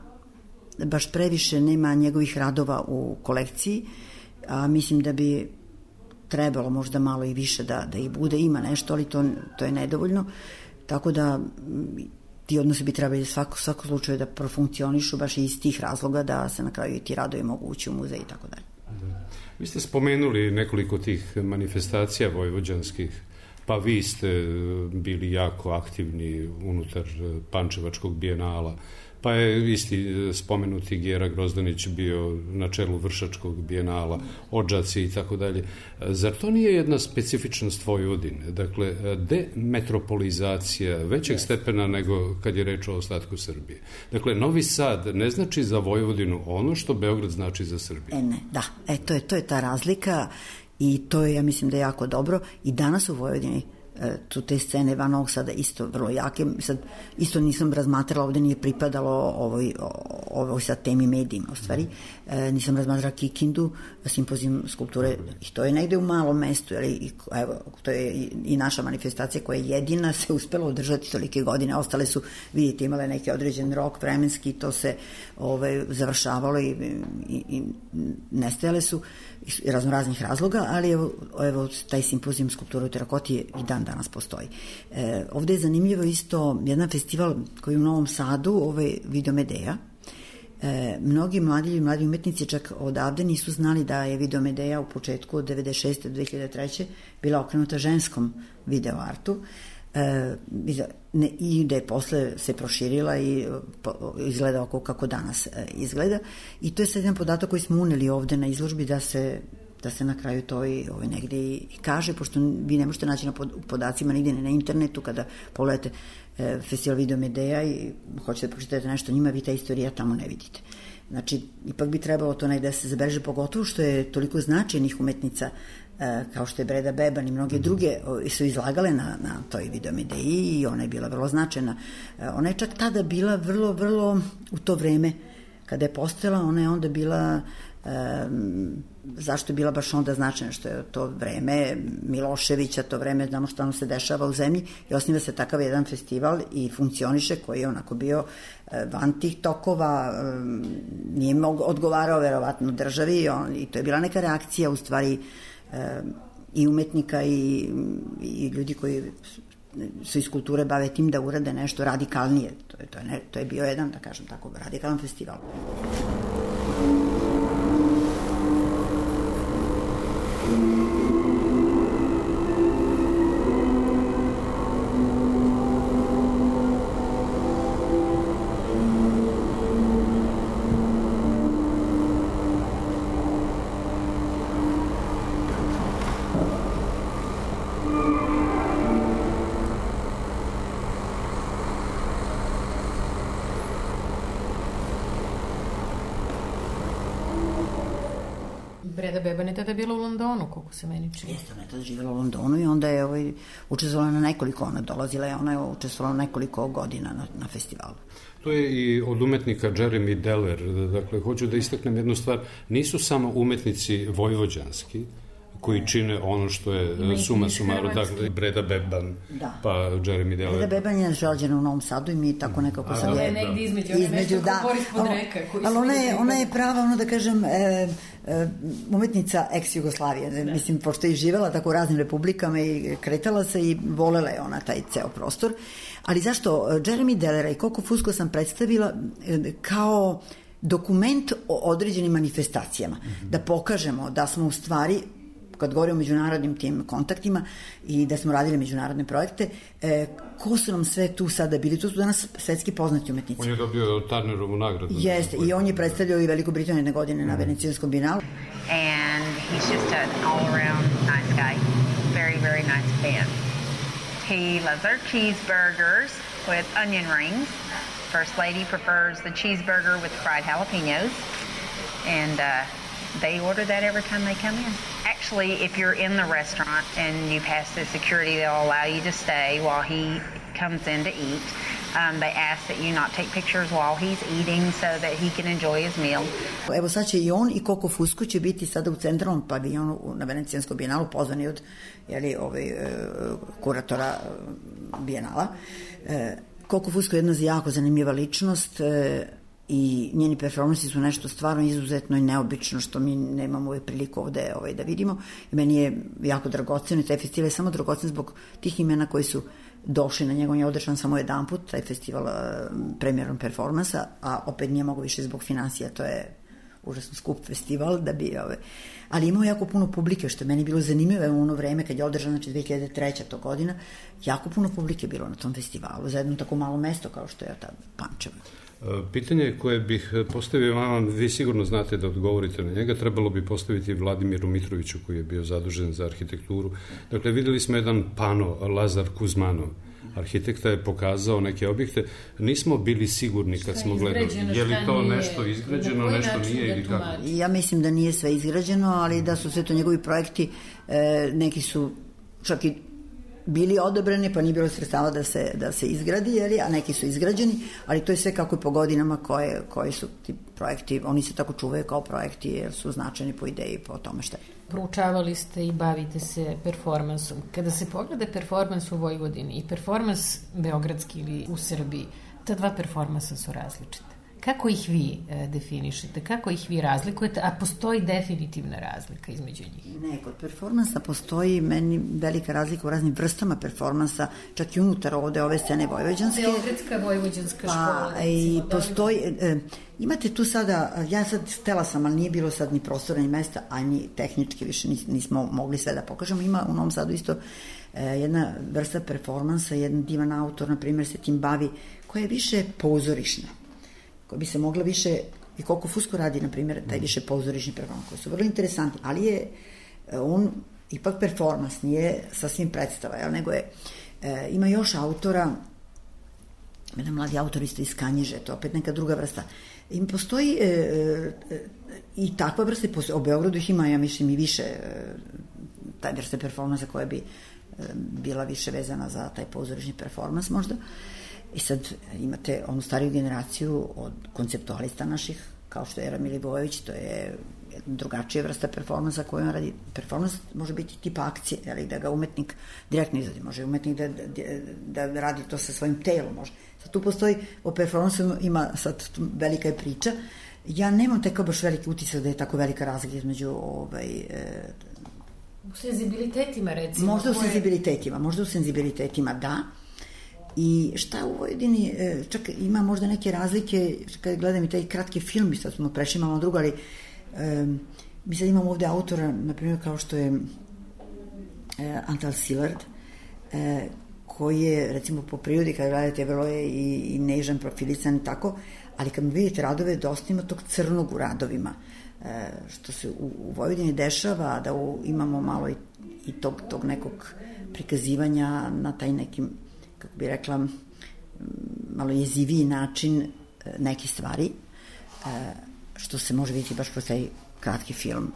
baš previše, nema njegovih radova u kolekciji, a mislim da bi trebalo možda malo i više da ih bude, ima nešto, ali to je nedovoljno, tako da ti odnosi bi trebali svako slučaju da profunkcionišu baš iz tih razloga da se na kraju i ti radovi mogu ući u muzej i tako dalje. Vi ste spomenuli nekoliko tih manifestacija vojvođanskih, pa vi ste bili jako aktivni unutar Pančevačkog bijenala, pa je isti spomenuti Gera Grozdanić bio na čelu Vršačkog bijenala, Odžaci i tako dalje. Zar to nije jedna specifičnost Vojvodine? Dakle, demetropolizacija većeg stepena nego kad je reč o ostatku Srbije. Dakle, Novi Sad ne znači za Vojvodinu ono što Beograd znači za Srbiju. To je ta razlika i to je, ja mislim da je jako dobro. I danas u Vojvodini tu te scene van Novog Sada isto vrlo jake. Sad, isto nisam razmatrala, ovde nije pripadalo ovoj sad temi medijima, u stvari. Nisam razmatrala Kikindu, simpozijum skulpture, i to je negde u malom mestu, evo, to je i naša manifestacija koja je jedina se uspela održati tolike godine, ostale su, vidite, imale neki određen rok vremenski, to se završavalo i nestajale su iz raznoraznih razloga, ali evo taj simpozijum skulpture u terakoti i dan danas postoji. Ovde je zanimljivo isto jedan festival koji je u Novom Sadu, Videomedeja. Mnogi mladi umetnici čak odavde nisu znali da je Videomedeja u početku od 96. do 2003. bila okrenuta ženskom videoartu i da je posle se proširila i izgleda oko kako danas izgleda. I to je sad jedan podatak koji smo uneli ovde na izložbi da se na kraju to i negde i kaže, pošto vi ne možete naći na podacima nigde na internetu kada pogledate festival Videomedeja i hoćete da pročitate nešto njima, vi ta istorija tamo ne vidite. Znači, ipak bi trebalo to negde da se zabeleži, pogotovo što je toliko značajnih umetnica kao što je Breda Beban i mnoge druge su izlagale na toj Videomedeji i ona je bila vrlo značajna. Ona je čak tada bila vrlo, vrlo u to vreme kada je postojala, ona je onda bila zašto je bila baš onda značajna, što je to vreme Miloševića, to vreme, znamo što se dešava u zemlji i osniva se takav jedan festival i funkcioniše, koji je onako bio van tih tokova, nije odgovarao verovatno državi i to je bila neka reakcija u stvari i umetnika i ljudi koji su iz kulture bave tim da urade nešto radikalnije. To je bio jedan, da kažem tako, radikalan festival. Breda Beban je tada bila u Londonu, koliko se meni čini. Jeste, ona je tada živjela u Londonu i onda je učestvovala na nekoliko, ona je učestvovala nekoliko godina na festivalu. To je i od umetnika Jeremy Deller, dakle, hoću da istaknem jednu stvar, nisu samo umetnici vojvođanski koji čine ono što je suma sumaru, dakle Breda Beban, pa Jeremy Deller. Breda Beban je rođena u Novom Sadu i mi tako nekako sam je negdje između da. Ali ona je prava, ono da kažem, umetnica ex-Jugoslavije, mislim, pošto je živela tako u raznim republikama i kretala se i volela je ona taj ceo prostor. Ali zašto? Jeremy Dellera i Coco Fusco sam predstavila kao dokument o određenim manifestacijama, da pokažemo da smo u stvari, kad govorimo o međunarodnim tim kontaktima i da smo radili međunarodne projekte, ko su nam sve tu sada bili? Tu su danas svetski poznati umetnici. On je dobio Turnerovu nagradu. Jeste, i on je predstavljao i Veliku Britaniju jedne godine na Venecijanskom binalu. And he's just an all-around nice guy. Very, very nice man. He loves our cheeseburgers with onion rings. First lady prefers the cheeseburger with fried jalapenos. And they order that every time they come in. Actually, if you're in the restaurant and you pass the security, they'll allow you to stay while he comes in to eat. They ask that you not take pictures while he's eating so that he can enjoy his meal. Evo sad će i on i Coco Fusco će biti sada u centralnom paviljonu na Venecijanskom bijenalu, pozvani od kuratora bijenala. Coco Fusco je jedna jako zanimljiva ličnost i njeni performansi su nešto stvarno izuzetno i neobično što mi nemamo uvijek priliku ovde da vidimo. I meni je jako dragoceno i taj festival je samo dragocen zbog tih imena koji su došli na njega. On je održan samo jedan put, taj festival premijerom performansa, a opet nije mogo više zbog financija, to je užasno skup festival da bi ali imao jako puno publike, što je meni bilo zanimljivo u ono vreme kad je održan, znači 2003. to godina, jako puno publike bilo na tom festivalu za jedno tako malo mesto kao što je ta Pančevo. Pitanje koje bih postavio vama, vi sigurno znate da odgovorite na njega, trebalo bi postaviti Vladimiru Mitroviću koji je bio zadužen za arhitekturu. Dakle, videli smo jedan pano, Lazar Kuzmanov, arhitekta je pokazao neke objekte, nismo bili sigurni kad smo gledali. Je li to nešto izgrađeno, nešto nije ili kako? Ja mislim da nije sve izgrađeno, ali da su sve to njegovi projekti, neki su čak i bili odobreni, pa nije bilo sredstava da se izgradi, a neki su izgrađeni, ali to je sve kako i po godinama koji su ti projekti, oni se tako čuvaju kao projekti jer su značajni po ideji, po tome šta je. Proučavali ste i bavite se performansom. Kada se pogleda performans u Vojvodini i performans beogradski ili u Srbiji, ta dva performansa su različite. Kako ih vi definišete? Kako ih vi razlikujete? A postoji definitivna razlika između njih? Ne, kod performansa postoji meni velika razlika u raznim vrstama performansa, čak i unutar ove scene vojvođanske. Beogradska vojvođanska škola. I postoji, imate tu sada, ja sad htela sam, ali nije bilo sad ni prostora ni mesta, a ni tehnički više nismo mogli sve da pokažemo. Ima u Novom Sadu isto jedna vrsta performansa, jedan divan autor, na primjer, se tim bavi, koja je više pozorišna, koja bi se mogla više, i Coco Fusco radi, na primjer, taj više pozorišni performans, koji su vrlo interesantni, ali je on ipak performans, nije sasvim predstava, nego je, ima još autora, jedan mladi autor isto iz Kanjiže, to opet neka druga vrsta. I postoji i takva vrsta, u Beogradu ih ima, ja mislim, i više taj vrste performansa koja bi bila više vezana za taj pozorišni performans možda. I sad imate onu stariju generaciju od konceptualista naših, kao što je Ramil Ivojević, to je drugačija vrsta performansa koju on radi. Performans može biti tipa akcije, ali da ga umetnik direktno izvodi, može umetnik da radi to sa svojim telom, može. Sad tu postoji, o performansu ima sad velika je priča. Ja nemam tako baš veliki utisak da je tako velika razlika između u senzibilitetima, recimo. Možda u senzibilitetima, da. I šta u Vojvodini, čak ima možda neke razlike, kad gledam i taj kratki film, sad smo prešli malo drugo, ali mi sad imamo ovde autora, na primjer, kao što je Antal Silard, koji je, recimo, po prirodi, kada gledate, vrlo je i nežan, profilisan i tako, ali kad mu vidite radove, dosta ima tog crnog u radovima, što se u Vojvodini dešava, da imamo malo i tog nekog prikazivanja na taj nekim, kako bi rekla, malo jeziviji način neke stvari, što se može vidjeti baš kroz taj kratki film.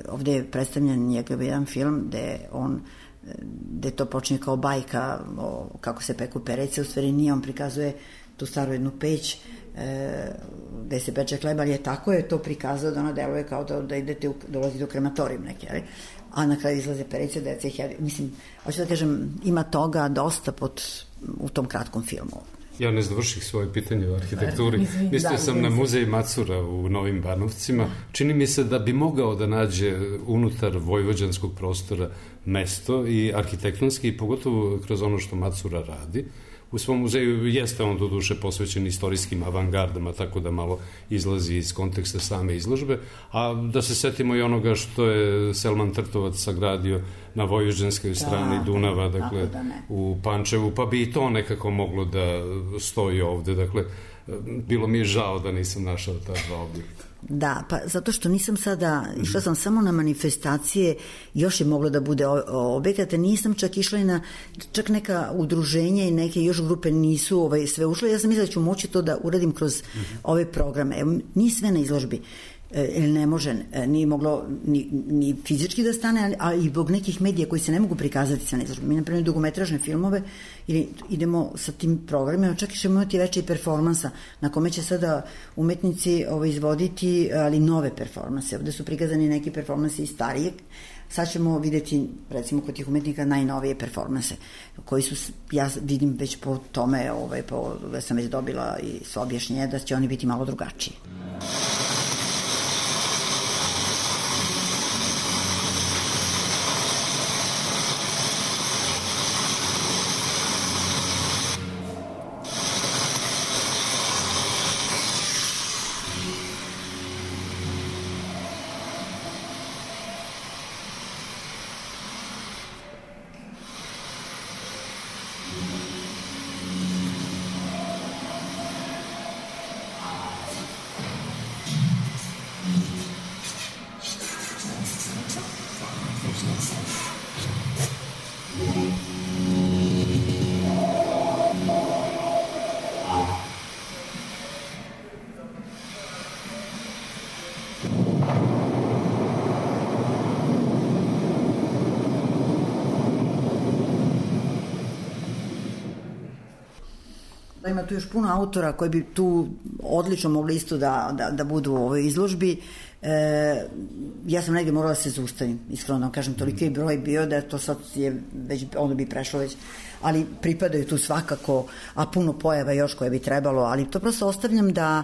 Ovde je predstavljen njegov jedan film gde to počinje kao bajka kako se peku perece, u stvari nije, on prikazuje tu staru jednu peć gde se peče hleb, ali je tako je to prikazao da ono deluje kao da idete dolazite u krematorijum neke, ali? A na kraju izlaze perice, deca ih jede. Mislim, hoću da kažem, ima toga dosta u tom kratkom filmu. Ja ne završih svoje pitanje o arhitekturi. Mislio sam na muzej Macura u Novim Banovcima. Čini mi se da bi mogao da nađe unutar vojvođanskog prostora mesto i arhitektonski, i pogotovo kroz ono što Macura radi. U svom muzeju jeste on doduše posvećen istorijskim avangardama, tako da malo izlazi iz konteksta same izložbe, a da se setimo i onoga što je Selman Trtovac sagradio na vojvođanskoj strani Dunava, dakle u Pančevu, pa bi i to nekako moglo da stoji ovde, dakle bilo mi je žao da nisam našao ta dva objekta. Da, pa zato što nisam sada, išla sam samo na manifestacije, još je moglo da bude objekata, nisam čak išla i na čak neka udruženja i neke još grupe nisu sve ušle, ja sam mislila da ću moći to da uradim kroz ove programe. Evo, nije sve na izložbi, ne može, nije moglo ni fizički da stane, ali i zbog nekih medija koji se ne mogu prikazati sve na izložbi. Mi napravimo dugometražne filmove ili idemo sa tim programima, čak i ćemo imati veće performansa na kome će sada umetnici izvoditi, ali nove performanse. Ovde su prikazani neki performansi i starijeg. Sad ćemo videti, recimo, kod tih umetnika najnovije performanse, koji su, ja vidim već po tome, da sam već dobila i sva objašnjenja da će oni biti malo drugačiji. Ima tu još puno autora koji bi tu odlično mogli isto da budu u ovoj izložbi. Ja sam negdje morala se zaustavim, iskreno da kažem, toliki je broj bio da to sad je već, ono bi prešlo već, ali pripadaju tu svakako, a puno pojava još koje bi trebalo, ali to prosto ostavljam da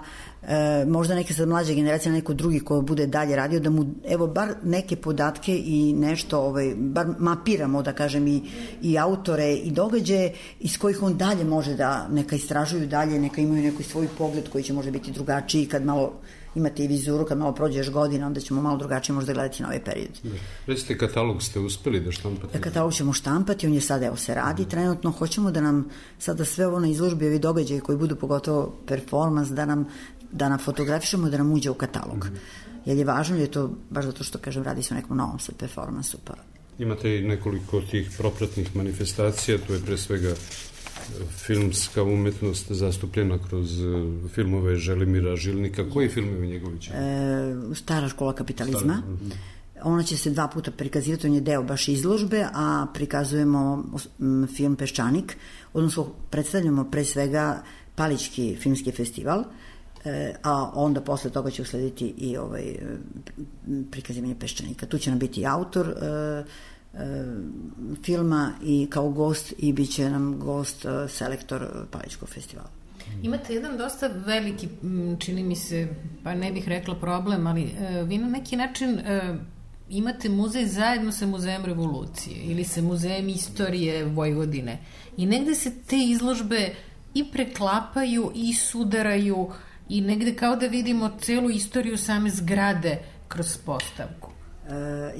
možda neke sad mlađe generacije, neko drugi ko bude dalje radio, da mu evo bar neke podatke i nešto, bar mapiramo, da kažem, i autore i događaje iz kojih on dalje može da neka istražuju dalje, neka imaju neki svoj pogled koji će možda biti drugačiji kad malo imate i vizuru, kad malo prođeš godina, onda ćemo malo drugačije možda gledati na ovaj period. Recite, katalog ste uspeli da štampate? Katalog ćemo štampati, on je sad, evo se radi, trenutno hoćemo da nam sada sve ovo na izložbi, ovi događaji koji budu pogotovo performans, da nam fotografišemo, da nam uđe u katalog. Jer je važno, je to, baš zato što, kažem, radi se o nekom novom sad performansu. Pa. Imate i nekoliko tih propratnih manifestacija, to je pre svega filmska umetnost zastupljena kroz filmove Želimira Žilnika. Koji filmovi njegovi će? Stara škola kapitalizma. Ona će se 2 puta prikazivati, on je deo baš izložbe, a prikazujemo film Peščanik, odnosno predstavljamo pre svega Palićki filmski festival, a onda posle toga će uslediti i prikazivanje Peščanika. Tu će nam biti autor filma i kao gost, i bit će nam gost selektor Palićkog festivala. Imate jedan dosta veliki, čini mi se, pa ne bih rekla problem, ali vi na neki način imate muzej zajedno sa Muzejem revolucije ili sa Muzejem istorije Vojvodine i negde se te izložbe i preklapaju i sudaraju i negde kao da vidimo celu istoriju same zgrade kroz postavku.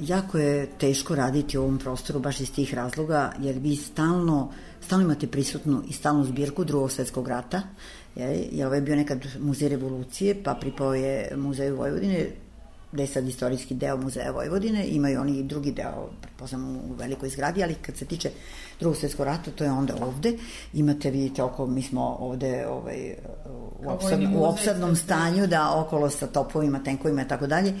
Jako je teško raditi u ovom prostoru baš iz tih razloga, jer vi stalno imate prisutnu i stalnu zbirku Drugog svjetskog rata, jer ovo je bio nekad Muzej revolucije, pa pripao je Muzeju Vojvodine, gde je sad istorijski deo Muzeja Vojvodine, imaju oni i drugi deo, pretpostavljamo, u velikoj zgradi, ali kad se tiče Drugog svjetskog rata, to je onda ovde. Imate, vidite, mi smo ovde u opsadnom stanju, da okolo sa topovima, tenkovima i tako dalje,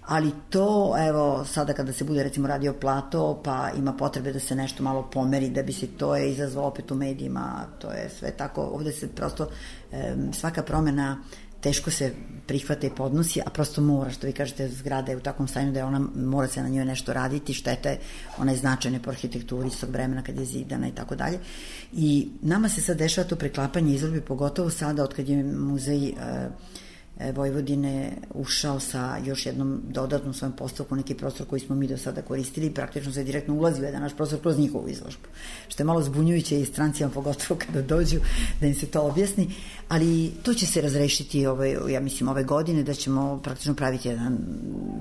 Ali to, evo, sada kada se bude recimo radio plato, pa ima potrebe da se nešto malo pomeri, da bi se to je izazvalo opet u medijima, to je sve tako, ovde se prosto svaka promena teško se prihvata i podnosi, a prosto mora, što vi kažete, zgrada je u takvom stanju da je ona, mora se na njoj nešto raditi, štete, ona je značajna po arhitekturi iz tog vremena kad je zidana i tako dalje. I nama se sad dešava to preklapanje izložbi, pogotovo sada od kad je muzej Vojvodine ušao sa još jednom dodatnom svojom postavkom neki prostor koji smo mi do sada koristili i praktično se direktno ulazi u jedan naš prostor kroz njihovu izložbu. Što je malo zbunjujuće i strancima, pogotovo kada dođu da im se to objasni, ali to će se razrešiti ja mislim ove godine, da ćemo praktično praviti jedan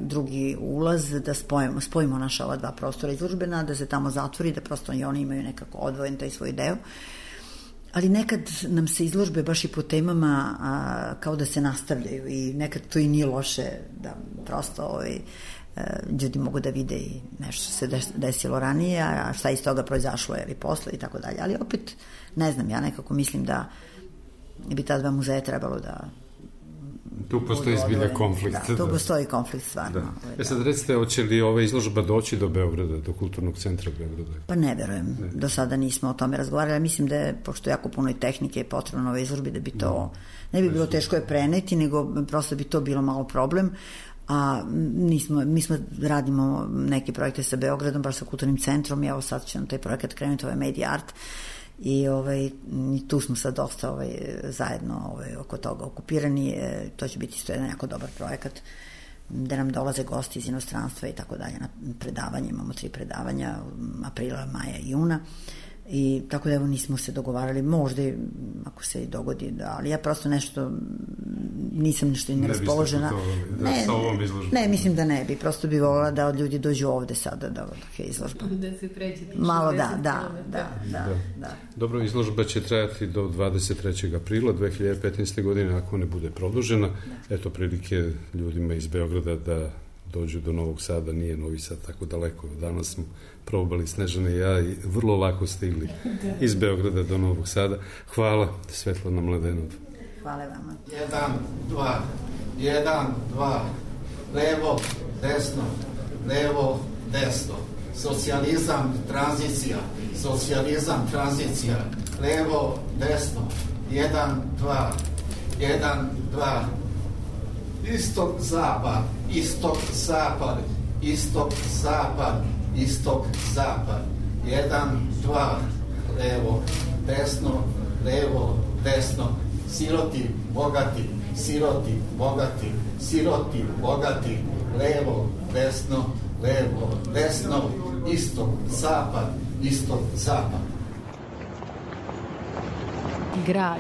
drugi ulaz, da spojimo naša ova dva prostora izložbena, da se tamo zatvori, da prosto i oni imaju nekako odvojen taj svoj deo. Ali nekad nam se izložbe baš i po temama kao da se nastavljaju i nekad to i nije loše da prosto ljudi mogu da vide i nešto se desilo ranije, a šta iz toga proizašlo ili posle i tako dalje. Ali opet, ne znam, ja nekako mislim da bi ta dva muzeja trebalo da... Tu postoji zbilja konflikt. Da, tu postoji konflikt, stvarno. Da. Sad recite, hoće li ova izložba doći do Beograda, do kulturnog centra Beograda? Pa ne verujem. Do sada nismo o tome razgovarali. Mislim da je, pošto jako puno i tehnike je potrebno na ovoj izložbi, da bi to... Ne bi bilo teško je preneti, nego prosto bi to bilo malo problem. A mi smo radimo neke projekte sa Beogradom, baš sa kulturnim centrom, i evo sad će nam taj projekat krenuti, ovaj Media Art, i tu smo sad dosta zajedno oko toga okupirani. To će biti isto jedan jako dobar projekat gde nam dolaze gosti iz inostranstva i tako dalje na predavanje. Imamo 3 predavanja, aprila, maja i juna. I tako da evo nismo se dogovarali, možda ako se i dogodi, ali ja prosto nešto nisam nešto neraspoložena. Ne, mislim da ne bi, prosto bi volila da od ljudi dođu ovde sada da je izložba. Da se pređe. Malo da. Dobro, izložba će trajati do 23. aprila 2015. godine, ako ne bude produžena. Eto prilike ljudima iz Beograda da dođu do Novog Sada, nije Novi Sad tako daleko. Danas smo probali Snežana i ja i vrlo lako stigli iz Beograda do Novog Sada. Hvala, Svetlana Mladenov. Hvala vama. 1, 2, levo, desno, socijalizam, tranzicija, levo, desno, 1, 2, istok, zapad, istok, zapad, 1, 2, levo, desno, siroti, bogati, levo, desno, istok, zapad. Grad.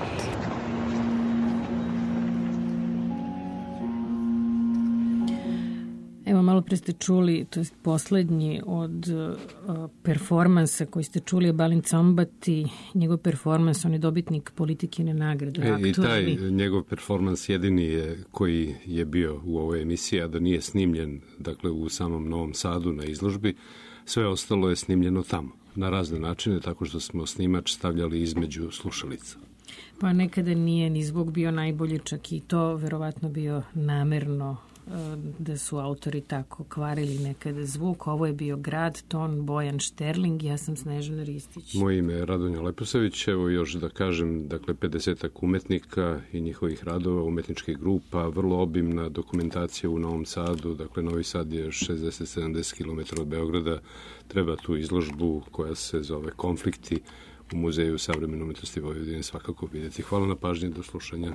Evo, malo pre ste čuli, to je poslednji od performansa koji ste čuli je Balint Sombati, njegov performans, on je dobitnik Politikine nagrade. I taj njegov performans jedini je koji je bio u ovoj emisiji, a da nije snimljen, dakle, u samom Novom Sadu na izložbi, sve ostalo je snimljeno tamo, na razne načine, tako što smo snimač stavljali između slušalica. Pa nekada nije ni zvuk bio najbolji, čak i to verovatno bio namerno, da su autori tako kvarili nekada zvuk. Ovo je bio Grad, ton Bojan Šterling, ja sam Snežana Ristić. Moje ime je Radonja Leposavić, evo još da kažem, dakle 50-ak umetnika i njihovih radova, umetničkih grupa, vrlo obimna dokumentacija u Novom Sadu, dakle Novi Sad je 60-70 km od Beograda, treba tu izložbu koja se zove Konflikti u Muzeju savremene umetnosti Vojvodine svakako vidjeti. Hvala na pažnji, do slušanja.